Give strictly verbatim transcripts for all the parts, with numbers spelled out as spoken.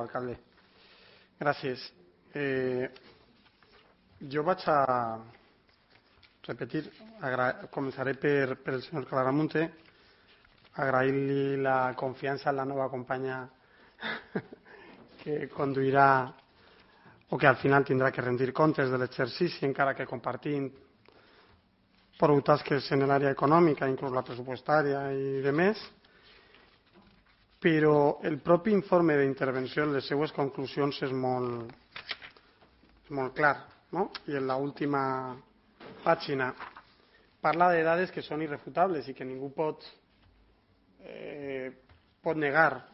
Alcalde. Gràcies. Eh, jo vaig a repetir, començaré per, per el senyor Claramunte, agrair-li la confiança en la nova companya que conduirà o que al final tindrà que rendir comptes de l'exercici, encara que compartim prou tasques en l'àrea econòmica, inclús la pressupostària i de més, però el propi informe d'intervenció en les seues conclusions és molt, és molt clar, no? I en l'última pàgina parla de dades que són irrefutables i que ningú pot, eh, pot negar.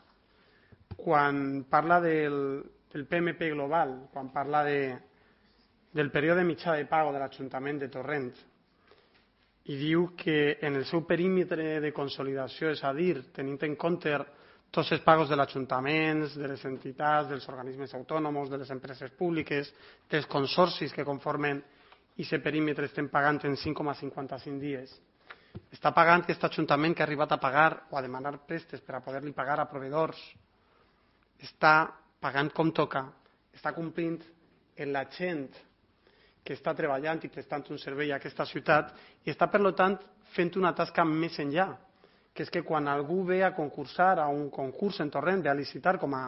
Quan parla del, del P M P global, quan parla de, del període mitjà de pago de l'Ajuntament de Torrent, i diu que en el seu perímetre de consolidació, és a dir, tenint en compte tots els pagos de l'Ajuntament, de les entitats, dels organismes autònoms, de les empreses públiques, dels consorcis que conformen aquest perímetre, estem pagant en cinc coma cinquanta-cinc dies. Està pagant aquest Ajuntament que ha arribat a pagar o a demanar préstecs per a poder-li pagar a proveïdors. Està pagant com toca, està complint en la gent que està treballant i prestant un servei a aquesta ciutat i està, per tant, fent una tasca més enllà, que és que quan algú ve a concursar a un concurs en Torrent, ve a licitar com a,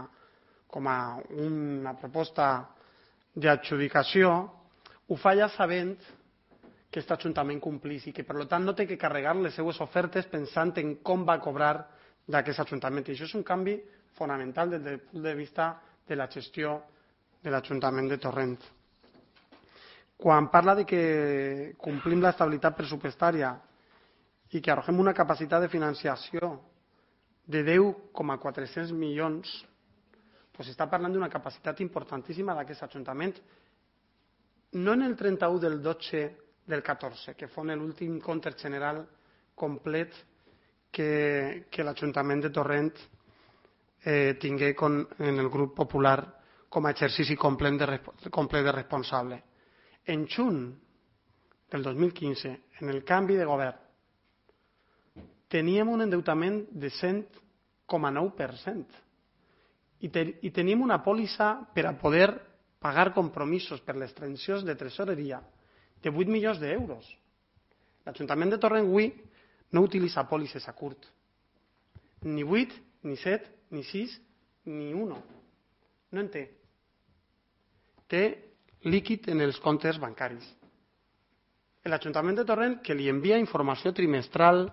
com a una proposta d'adjudicació, ho fa ja sabent que aquest Ajuntament complís i que, per tant, no té que carregar les seues ofertes pensant en com va cobrar d'aquest Ajuntament. I això és un canvi fonamental des del punt de vista de la gestió de l'Ajuntament de Torrent. Quan parla de que complim l'estabilitat pressupostària i que arrogem una capacitat de financiació de deu coma quatre-cents milions, doncs està parlant d'una capacitat importantíssima d'aquest Ajuntament, no en el trenta-u del dotze del catorze, que fou l'últim compte general complet que, que l'Ajuntament de Torrent eh, tingué con, en el grup popular com a exercici complet de, complet de responsable. En juny del dos mil quinze, en el canvi de govern, teníem un endeutament de cent coma nou per cent i, te, i teníem una pòlissa per a poder pagar compromisos per les transaccions de tresoreria de vuit milions d'euros. L'Ajuntament de Torrent avui no utilitza pòlisses a curt. Ni vuit, ni set, ni sis, ni uno. No en té. Té líquid en els comptes bancaris. L'Ajuntament de Torrent, que li envia informació trimestral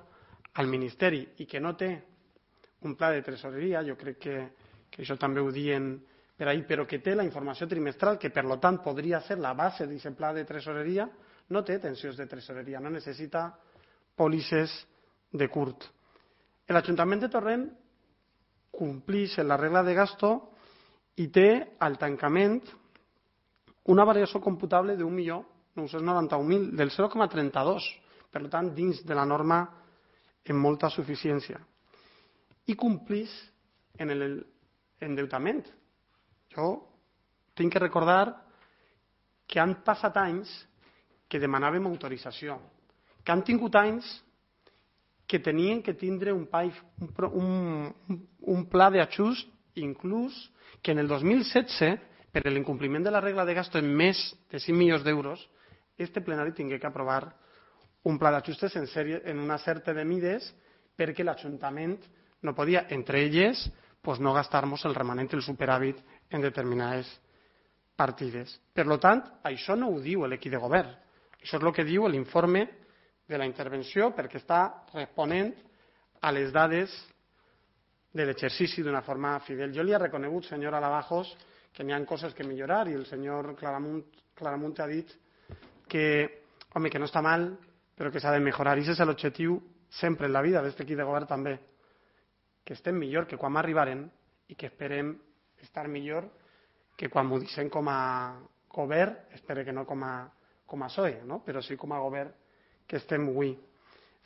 al Ministeri i que no té un pla de tresoreria, jo crec que, que això també ho diuen per ahir, però que té la informació trimestral, que per tant podria ser la base d'aquest pla de tresoreria, no té tensions de tresoreria, no necessita pòlisses de curt. L'Ajuntament de Torrent complix la regla de gasto i té al tancament una variació computable d'un milió nou-cents noranta-un mil, del zero coma trenta-dos, per tant, dins de la norma en molta suficiència. I complix en l'endeutament. Jo tinc que recordar que han passat anys que demanàvem autorització, que han tingut anys que tenien que tindre un, un, un pla d'ajust, inclús que en el dos mil setze, per l'incompliment de la regla de gasto en més de cinc milions d'euros, este plenari tingué que aprovar un pla d'ajustes en, sèrie, en una certa de mides perquè l'Ajuntament no podia, entre elles, pues no gastar-nos el remanent, el superàvit en determinades partides. Per tant, això no ho diu l'equip de govern. Això és el que diu l'informe de la intervenció perquè està responent a les dades de l'exercici d'una forma fidel. Jo li he reconegut, senyora Lavajos, que n'hi ha coses que millorar i el senyor Claramunt, Claramunt ha dit que, home, que no està mal, però que s'ha de millorar. I aquest és l'objectiu sempre en la vida d'aquest equip de govern també, que estem millor que quan arribaren i que esperem estar millor que quan m'ho deixem com a govern, espero que no com a, com a P S O E, no? Però sí com a govern que estem avui.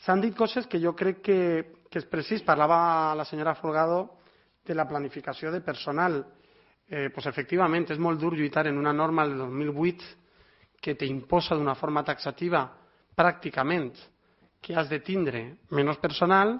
S'han dit coses que jo crec que, que és precís. Parlava la senyora Folgado de la planificació de personal. Eh, pues efectivament, és molt dur lluitar en una norma del dos mil vuit que t'imposa d'una forma taxativa pràcticament que has de tindre menys personal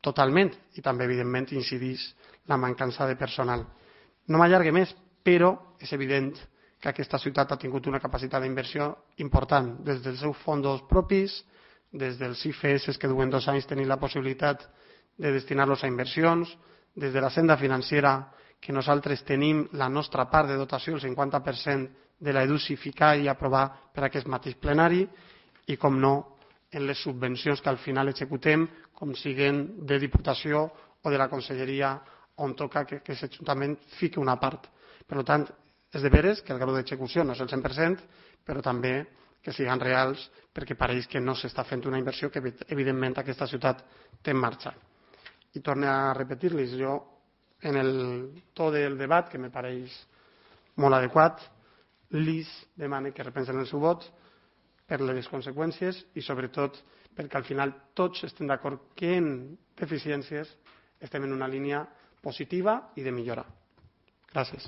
totalment i també, evidentment, incideix la mancança de personal. No m'allargue més, però és evident que aquesta ciutat ha tingut una capacitat d'inversió important des dels seus fons propis, des dels I F S que duen dos anys tenir la possibilitat de destinar-los a inversions, des de la senda financera que nosaltres tenim la nostra part de dotació, el cinquanta per cent de la EDUSI ficar i aprovar per aquest mateix plenari i, com no, en les subvencions que al final executem, com siguen de Diputació o de la Conselleria on toca que aquest Ajuntament fiqui una part. Per tant, és de veres que el grau d'execució no és el cent per cent, però també que siguin reals perquè pareix que no s'està fent una inversió que evidentment aquesta ciutat té en marxa. I torno a repetir-los, jo en el to del debat, que me pareix molt adequat, lis demane que repensen el seu vot per les conseqüències i sobretot perquè al final tots estem d'acord que en deficiències estem en una línia positiva i de millora. Gràcies.